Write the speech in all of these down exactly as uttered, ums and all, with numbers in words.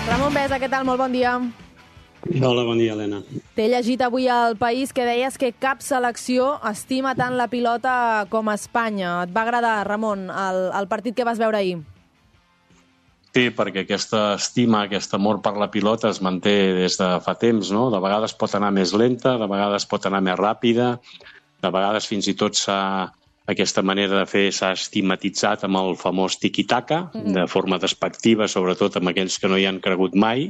Ramon Besa, què tal? Molt bon dia. Hola, bon dia, Helena. T'he llegit avui al País que deies que cap selecció estima tant la pilota com Espanya. Et va agradar, Ramon, el, el partit que vas veure ahir? Sí, perquè aquesta estima, aquest amor per la pilota es manté des de fa temps, no? De vegades pot anar més lenta, de vegades pot anar més ràpida, de vegades fins i tot s'ha... Aquesta manera de fer s'ha estigmatitzat amb el famós tiki-taka, mm-hmm. de forma despectiva, sobretot amb aquells que no hi han cregut mai,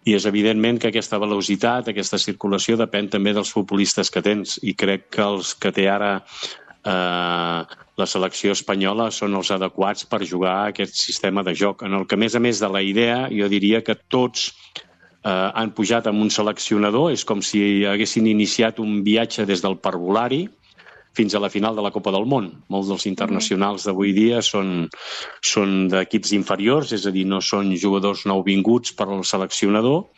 i és evidentment que aquesta velocitat, aquesta circulació depèn també dels futbolistes que tens, i crec que els que té ara eh, la selecció espanyola són els adequats per jugar a aquest sistema de joc, en el que, a més a més de la idea, jo diria que tots eh, han pujat amb un seleccionador, és com si haguessin iniciat un viatge des del parvulari fins a la final de la Copa del Món. Molts dels internacionals d'avui dia són, són d'equips inferiors, és a dir, no són jugadors nouvinguts per al seleccionador,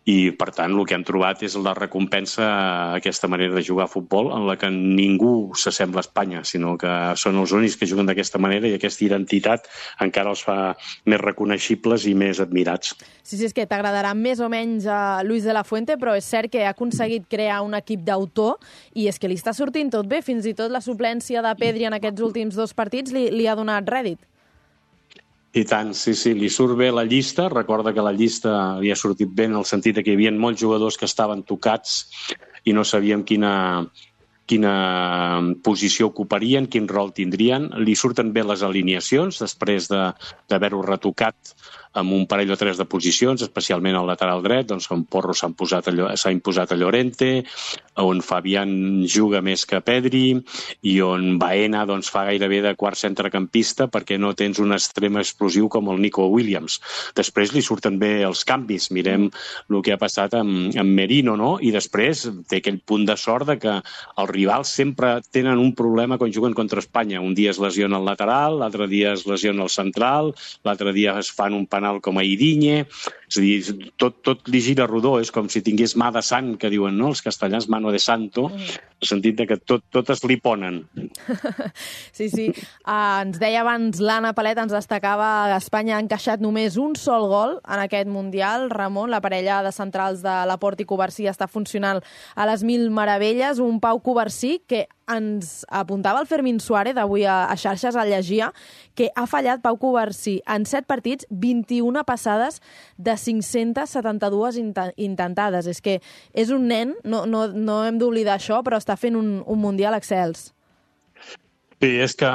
i, per tant, el que hem trobat és la recompensa a aquesta manera de jugar a futbol en la que ningú s'assembla a Espanya, sinó que són els únics que juguen d'aquesta manera i aquesta identitat encara els fa més reconeixibles i més admirats. Sí, sí, és que t'agradarà més o menys a Luis de la Fuente, però és cert que ha aconseguit crear un equip d'autor i és que li està sortint tot bé. Fins i tot la suplència de Pedri en aquests últims dos partits li, li ha donat rèdit. I tant, sí, sí, li surt bé la llista. Recorda que la llista li ha sortit bé en el sentit que hi havia molts jugadors que estaven tocats i no sabíem quina, quina posició ocuparien, quin rol tindrien. Li surten bé les alineacions després de, d'haver-ho retocat amb un parell o tres de posicions, especialment al lateral dret, doncs on Porro s'ha imposat, a, s'ha imposat a Llorente, on Fabián juga més que Pedri i on Baena doncs, fa gairebé de quart centrecampista perquè no tens un extrem explosiu com el Nico Williams. Després li surten bé els canvis. Mirem el que ha passat amb, amb Merino, no? I després té aquell punt de sort de que els rivals sempre tenen un problema quan juguen contra Espanya. Un dia es lesiona el lateral, l'altre dia es lesiona el central, l'altre dia es fan un penal com a Idiñe, és a dir, tot, tot li gira rodó, és com si tingués mà de sant, que diuen, no?, els castellans, mano de santo, en el sentit de que tot, totes li ponen. Sí, sí. Uh, ens deia abans l'Anna Palet, ens destacava que Espanya ha encaixat només un sol gol en aquest Mundial. Ramon, la parella de centrals de Laporte i Covarsí està funcionant a les mil meravelles. Un Pau Covarsí que ens apuntava el Fermín Suárez avui a, a xarxes, al llegia, que ha fallat Pau Covarsí en set partits, vint-i-una passades de cinc-centes setanta-dues intentades. És que és un nen, no, no, no hem d'oblidar això, però està fent un, un Mundial excels. Sí, és que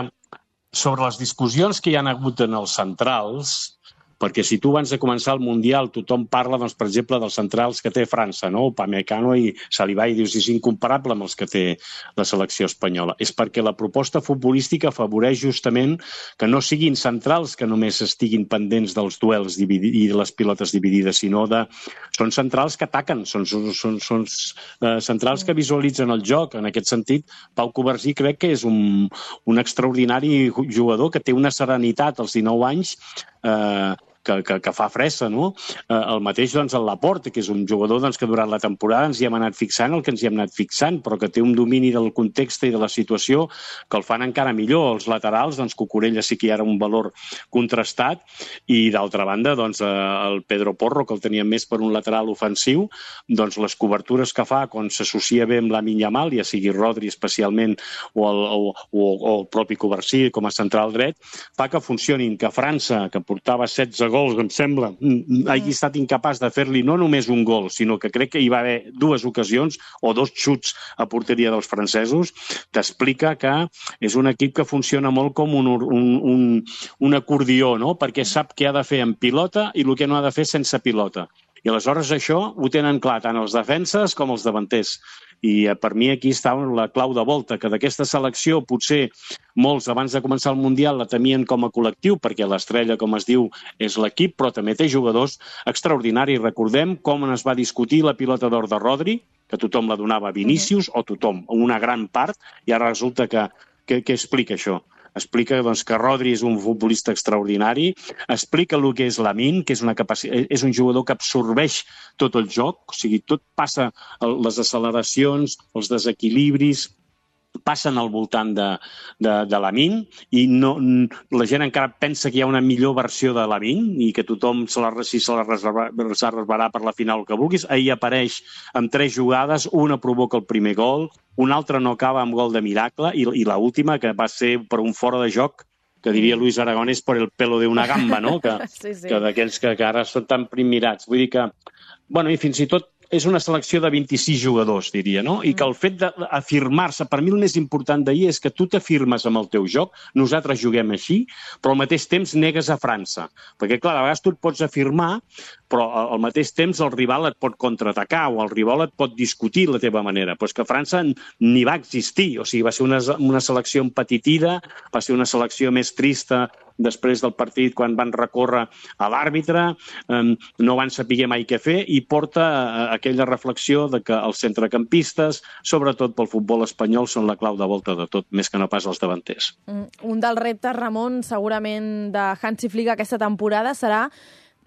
sobre les discussions que hi ha hagut en els centrals, perquè si tu abans de començar el Mundial tothom parla, doncs, per exemple, dels centrals que té França, no? Upamecano i Saliba, i dius, és incomparable amb els que té la selecció espanyola. És perquè la proposta futbolística afavoreix justament que no siguin centrals que només estiguin pendents dels duels i de les pilotes dividides, sinó de... Són centrals que ataquen, són, són, són, són uh, centrals que visualitzen el joc. En aquest sentit, Pau Covarsí crec que és un, un extraordinari jugador que té una serenitat als dinou anys eh, que, que, que fa fressa, no? Eh, el mateix, doncs, el Laporte, que és un jugador doncs, que durant la temporada ens hi hem anat fixant el que ens hi hem anat fixant, però que té un domini del context i de la situació que el fan encara millor. Els laterals, doncs, Cucurella sí que hi ha un valor contrastat, i d'altra banda, doncs, eh, el Pedro Porro, que el teníem més per un lateral ofensiu, doncs les cobertures que fa quan s'associa bé amb Lamine Yamal, ja sigui Rodri especialment o el, o, o, o el propi Covarsí com a central dret, fa que funcionin, que França, que portava setze gols, em sembla, hagi estat incapaç de fer-li no només un gol, sinó que crec que hi va haver dues ocasions o dos xuts a porteria dels francesos, t'explica que és un equip que funciona molt com un, un, un, un acordió, no? Perquè sap què ha de fer en pilota i el que no ha de fer sense pilota. I aleshores això ho tenen clar tant els defenses com els davanters. I per mi aquí està la clau de volta, que d'aquesta selecció potser molts abans de començar el Mundial la temien com a col·lectiu, perquè l'estrella, com es diu, és l'equip, però també té jugadors extraordinaris. Recordem com es va discutir la pilota d'or de Rodri, que tothom la donava a Vinícius, o tothom, una gran part, i ara resulta que, que, que explica això. Explica doncs, que Rodri és un futbolista extraordinari, explica el que és Lamine, que és, una capacitat, és un jugador que absorbeix tot el joc, o sigui, tot passa, les acceleracions, els desequilibris, passen al voltant de, de, de Lamine i no, la gent encara pensa que hi ha una millor versió de Lamine i que tothom se la, si se la reserva, se reservarà per la final que vulguis. Ahir apareix amb tres jugades, una provoca el primer gol, una altra no acaba amb gol de miracle i, i l'última, que va ser per un fora de joc, que diria Luis Aragonés per el pelo de una gamba, no? Que, sí, sí. que d'aquells que, que ara són tan primirats. Vull dir que, bueno, i fins i tot és una selecció de vint-i-sis jugadors, diria, no? I que el fet d'afirmar-se, per mi el més important d'ahir és que tu t'afirmes amb el teu joc, nosaltres juguem així, però al mateix temps negues a França. Perquè, clar, a vegades tu et pots afirmar, però al mateix temps el rival et pot contraatacar o el rival et pot discutir la teva manera. Però és que França ni va existir, o sigui, va ser una, una selecció empetitida, va ser una selecció més trista després del partit quan van recórrer a l'àrbitre, eh, no van saber mai què fer i porta eh, aquella reflexió de que els centrecampistes, sobretot pel futbol espanyol, són la clau de volta de tot, més que no pas els davanters. Un dels reptes, Ramon, segurament de Hansi Flick aquesta temporada serà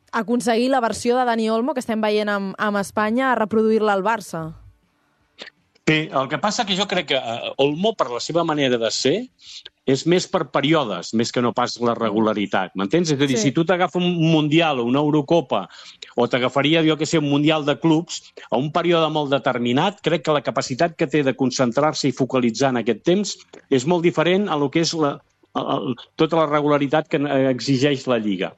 aconseguir la versió de Dani Olmo que estem veient amb, amb Espanya, a reproduir-la al Barça. Bé, el que passa que jo crec que Olmo, per la seva manera de ser, és més per períodes, més que no pas la regularitat, m'entens? És a dir, sí. Si tu t'agafa un Mundial o una Eurocopa, o t'agafaria, jo que sé, un Mundial de clubs, a un període molt determinat, crec que la capacitat que té de concentrar-se i focalitzar en aquest temps és molt diferent a lo que és la, a, a, tota la regularitat que exigeix la Lliga.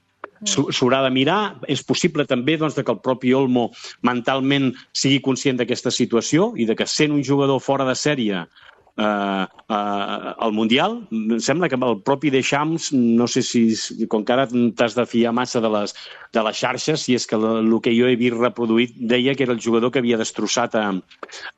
S'haurà de mirar, és possible també doncs, que el propi Olmo mentalment sigui conscient d'aquesta situació i de que sent un jugador fora de sèrie eh, eh, al Mundial, em sembla que el propi Deschamps, no sé si, com que ara t'has de fiar massa de les, de les xarxes, si és que el que jo he vist reproduït deia que era el jugador que havia destrossat a,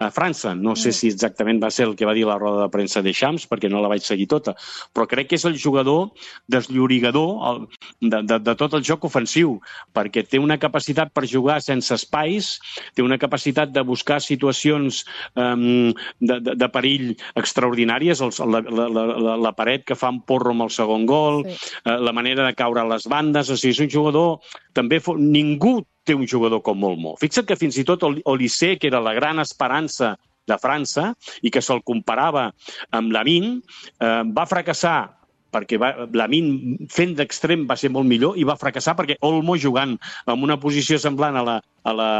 a França. No sé si exactament va ser el que va dir la roda de premsa Deschamps, perquè no la vaig seguir tota, però crec que és el jugador desllorigador de, de, de tot el joc ofensiu, perquè té una capacitat per jugar sense espais, té una capacitat de buscar situacions um, de, de, de perill extraordinàries, el, la, la, la, la paret que fa un porro amb el segon gol, sí. eh, la manera de caure a les bandes, o sigui, és un jugador, també ningú té un jugador com Olmo. Fixa't que fins i tot Olise, que era la gran esperança de França i que se'l comparava amb Lamine, eh, va fracassar perquè va, Lamine fent d'extrem va ser molt millor i va fracassar perquè Olmo jugant en una posició semblant a la, a la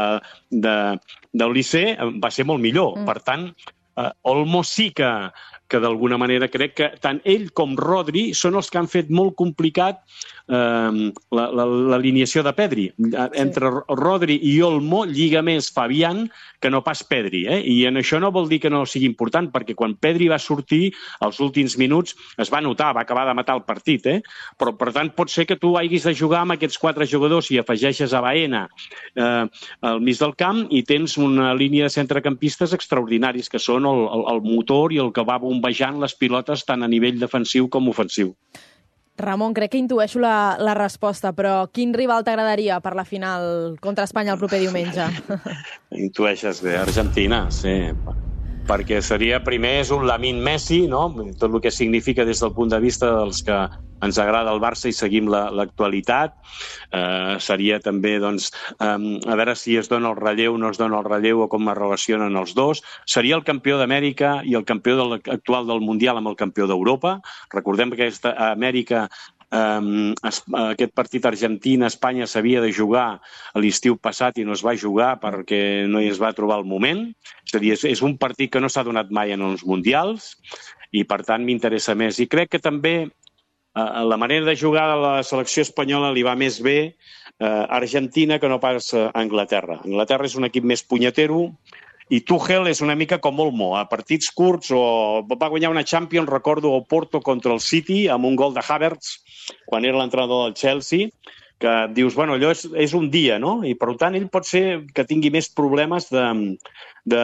de, d'Olise va ser molt millor. Mm. Per tant, Uh, Olmo sí que, que d'alguna manera crec que tant ell com Rodri són els que han fet molt complicat uh, l'alineació de Pedri. Uh, entre sí. Rodri i Olmo lliga més Fabián que no pas Pedri. Eh? I en això no vol dir que no sigui important, perquè quan Pedri va sortir, als últims minuts, es va notar, va acabar de matar el partit. Eh? Però, per tant, pot ser que tu haguis de jugar amb aquests quatre jugadors i afegeixes a Baena eh, al mig del camp i tens una línia de centrecampistes extraordinaris, que són el, el, el motor i el que va bombejant les pilotes tant a nivell defensiu com ofensiu. Ramon, crec que intueixo la, la resposta, però quin rival t'agradaria per la final contra Espanya el proper diumenge? Intueixes bé, Argentina, sí. Perquè seria, primer, és un Lamine Messi, no? Tot el que significa des del punt de vista dels que ens agrada el Barça i seguim l'actualitat. Eh, seria també, doncs, eh, a veure si es dona el relleu o no es dona el relleu o com es relacionen els dos. Seria el campió d'Amèrica i el campió del, actual del Mundial amb el campió d'Europa. Recordem que aquesta Amèrica Um, es, aquest partit Argentina-Espanya s'havia de jugar a l'estiu passat i no es va jugar perquè no hi es va trobar el moment. És a dir, és, és un partit que no s'ha donat mai en els mundials i per tant m'interessa més. I crec que també uh, la manera de jugar de la selecció espanyola li va més bé uh, a Argentina que no pas a Anglaterra. Anglaterra és un equip més punyetero i Tuchel és una mica com Olmo, a partits curts, o va guanyar una Champions, recordo, el Porto contra el City, amb un gol de Havertz, quan era l'entrenador del Chelsea, que dius, bueno, allò és, és un dia, no? I per tant ell pot ser que tingui més problemes de, de,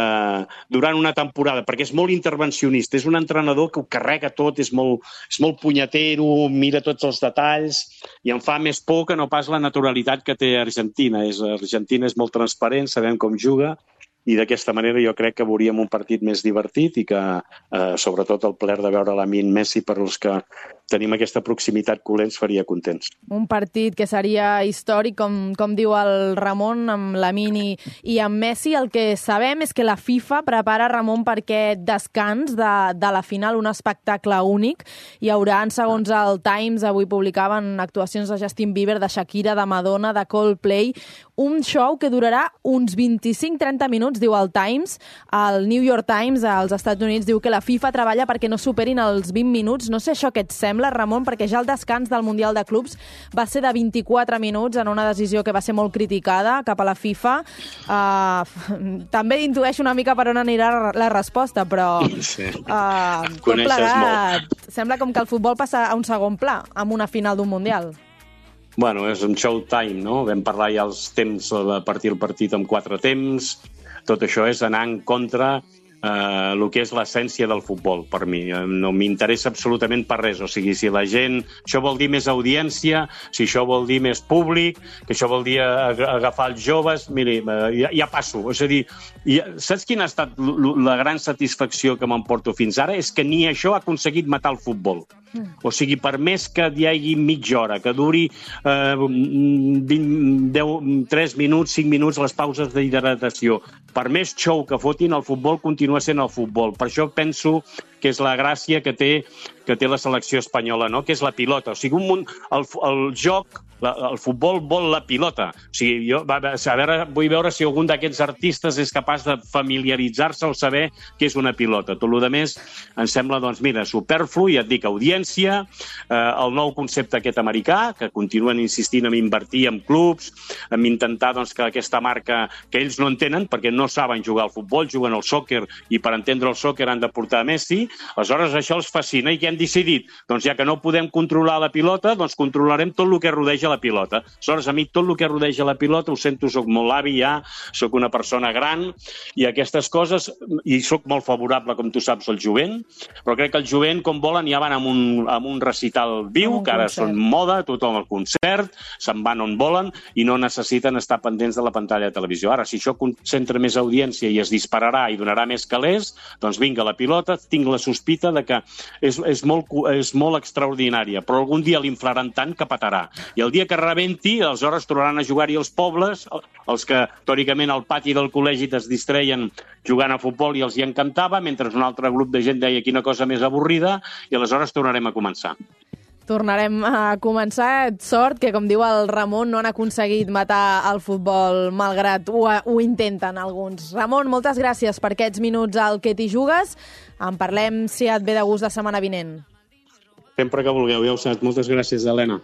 durant una temporada, perquè és molt intervencionista, és un entrenador que ho carrega tot, és molt, és molt punyetero, mira tots els detalls, i em fa més por que no pas la naturalitat que té Argentina. És, Argentina és molt transparent, sabem com juga, i d'aquesta manera jo crec que veuríem un partit més divertit i que, eh, sobretot, el plaer de veure Lamine Messi per als que tenim aquesta proximitat que ens faria contents. Un partit que seria històric, com, com diu el Ramon, amb Lamine i, i amb Messi. El que sabem és que la FIFA prepara, Ramon, per aquest descans de, de la final, un espectacle únic. Hi haurà, segons el Times, avui publicaven actuacions de Justin Bieber, de Shakira, de Madonna, de Coldplay, un show que durarà uns vint-i-cinc a trenta minuts, diu el Times. El New York Times, als Estats Units, diu que la FIFA treballa perquè no superin els vint minuts. No sé això què et sembla, Ramon, perquè ja el descans del Mundial de Clubs va ser de vint-i-quatre minuts en una decisió que va ser molt criticada cap a la FIFA. Uh, també intueixo una mica per on anirà la resposta, però sí. uh, tot plegat sembla com que el futbol passa a un segon pla amb una final d'un Mundial. Bueno, és un showtime, no? Vam parlar ja els temps a partir del partit amb quatre temps. Tot això és anar en contra Uh, el que és l'essència del futbol, per mi. No m'interessa absolutament per res. O sigui, si la gent... Això vol dir més audiència, si això vol dir més públic, que això vol dir agafar els joves... Miri, ja, ja passo. És a dir, ja, saps quina ha estat la gran satisfacció que m'emporto fins ara? És que ni això ha aconseguit matar el futbol. O sigui, per més que hi hagi mitja hora, que duri eh, vint, deu, tres minuts, cinc minuts les pauses d'hidratació, per més show que fotin, el futbol continua sent el futbol. Per això penso que és la gràcia que té, que té la selecció espanyola, no? Que és la pilota. O sigui, un munt, el, el joc, la, el futbol vol la pilota. O sigui, jo a veure, vull veure si algun d'aquests artistes és capaç de familiaritzar-se al saber què és una pilota. Tot el més em sembla, doncs, mira, superflu, i et dic, audiència, eh, el nou concepte aquest americà, que continuen insistint en invertir en clubs, en intentar doncs, que aquesta marca, que ells no entenen, perquè no saben jugar al futbol, juguen al sòquer, i per entendre el sòquer han de portar Messi. Aleshores, això els fascina. I què han decidit? Doncs ja que no podem controlar la pilota, doncs controlarem tot el que rodeja la pilota. Aleshores, a mi tot el que rodeja la pilota, ho sento, soc molt avi ja, soc una persona gran, i aquestes coses, i soc molt favorable, com tu saps, al jovent, però crec que el jovent, com volen, ja van amb un, amb un recital viu, que ara són moda, tothom al concert, se'n van on volen, i no necessiten estar pendents de la pantalla de televisió. Ara, si això concentra més audiència i es dispararà i donarà més calés, doncs vinga, la pilota, tinc la sospita de que és, és, molt, és molt extraordinària, però algun dia l'inflaran tant que petarà. I el dia que rebenti, aleshores tornaran a jugar-hi els pobles, els que teòricament al pati del col·legi es distreien jugant a futbol i els hi encantava, mentre un altre grup de gent deia quina cosa més avorrida, i aleshores tornarem a començar. Tornarem a començar. Sort que, com diu el Ramon, no han aconseguit matar el futbol, malgrat ho, ho intenten alguns. Ramon, moltes gràcies per aquests minuts al Que t'hi jugues. En parlem, si et ve de gust, la setmana vinent. Sempre que vulgueu, ja ho saps. Moltes gràcies, Helena.